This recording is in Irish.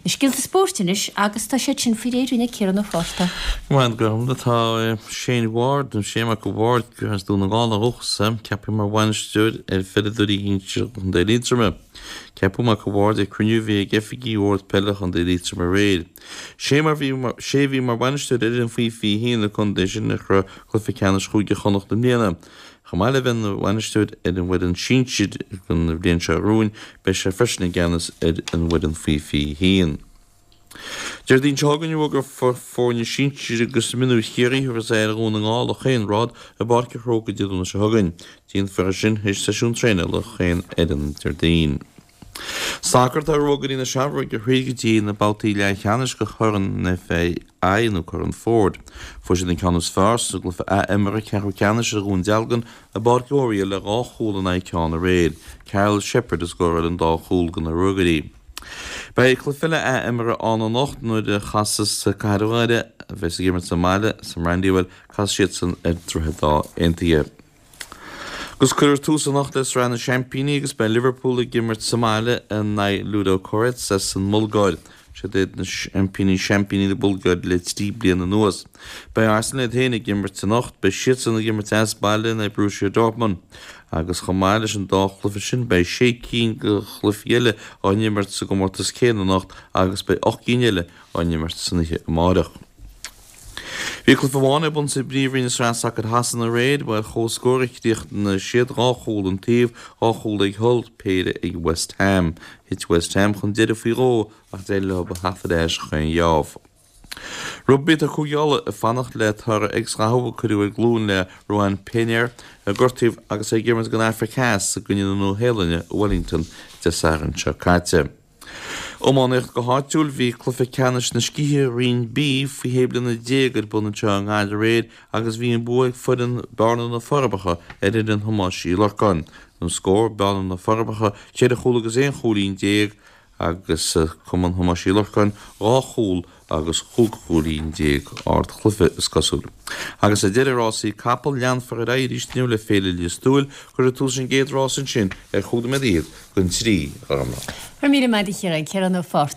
Na scéalta spóirt anois agus tá siad sin faoi réir ag Ciarán Ó Fátharta. Go maith, Gormfhlaith. Tá Shane Ward, nó Shane Mac Ward, as Dún na nGall ó dhúchas, ceaptha mar bhainisteoir ar pheileadóirí shinsir Chontae Liatroma. Ceapadh Mac Ward ag cruinniú a bhí ag oifigigh Bhord Peile Chontae Liatroma aréir. Sé mar bhí sé a bhí mar bhainisteoir ar fhoireann faoi 21 na contae sin a shroich cluiche ceannais Chúige Chonnacht i mbliana. Chomh maith le bheith ina bhainisteoir ar an bhfoireann sinsir don bhliain seo romhainn, beidh sé freisin i gceannas ar an bhfoireann faoi 21. Déardaoin seo chugainn ruagairí foirne sinsir agus mionúir Chiarraí a thabharfas aghaidh ar Dhún na nGall ó Chaon Rád i bPáirc an Chrócaigh Dé Domhnaigh seo chugainn. Déanfar é sin théis seisiún traenála chaon fhoireann Déardaoin. Sacar Tá Ruagairí na Seamróige thríd go dtí na babhtaí leathcheannais de Chorn an FAI nó Corn Ford. Fuair siad an ceann is fearr sa gcluiche ath-imeartha ceathrú ceannais ar Dhún Dealgan i bPáirc Oriel le 2 chúl in aghaidh ceann aréir. Karl Sheppard a scóráil an dá chúl do na Ruagairí. Beidh cluiche eile ath-imeartha ann anocht nuair a chasas Cathair Dhoire, a bheas ag imirt sa mbaile sa mBrandywell, casfaidh siadsan ar Droichead Átha Aontaithe. Agus cuirfear tús anocht le Sraith na Seaimpíní agus beidh Liverpool ag imirt sa mbaile in aghaidh Ludogorets as an mBulgáir. Siad iad na seaimpíní seaimpíní na Bulgáire le 3 bliana anuas. Beidh Arsenal iad féin ag imirt anocht, beidh siadsan ag imirt as baile in aghaidh Borussia Dortmund. Agus chomh maith leis an dá chluiche sin beidh sé cinn de chluichí eile á n-imirt sa gcomórtas céanna anocht agus beidh 8 gcinn eile á n-imirt san oíche amárach. Bhí cluiche amháin ar bun sa bPríomhroinn i Sraith Sacair Shasana aréir, ba ar comhscór a chríochnaigh siad, 2 chúl an taobh, 2 chúl ag Hull, péire ag West Ham. Thit West Ham chun deiridh faoi dhó ach d'éirigh leo a theacht ar ais chaon gheábh. Rugbaí Tá Cúige Uladh ag fanacht le toradh X-ghathú a cuireadh ar ghlúin le Ruan Pienaar a gortaíodh agus é ag imirt don Afraic Theas i gcoinne na Nua-Shéalainne i Wellington Dé Sathairn seo caite. Iománaíocht Go háitiúil, bhí cluiche ceannais na scíthe Roinn B faoi shé bliana déag ar bun anseo i nGaillimh aréir agus bhí an bua ag foireann Bearna na Forbacha ar fhoireann Thomáis Uí Lorcáin. An scór, Bearna na Forbacha, 4 chúl agus 11 chúilín agus Cumann Thomáis Uí Lorcáin, 2 chúl agus 15 chúilín. Ardchluiche, is cosúil. Agus ar deireadh, rásaí capall, leanfar ar aghaidh arís inniu le Féile Lios Tuathail. Cuirfear tús leis an gcéad rás ansin ar chúig nóiméad fhichead don trí, a Ghormfhlaith. Go raibh míle maith agat a Chiaráin, Ciarán Ó Fátharta.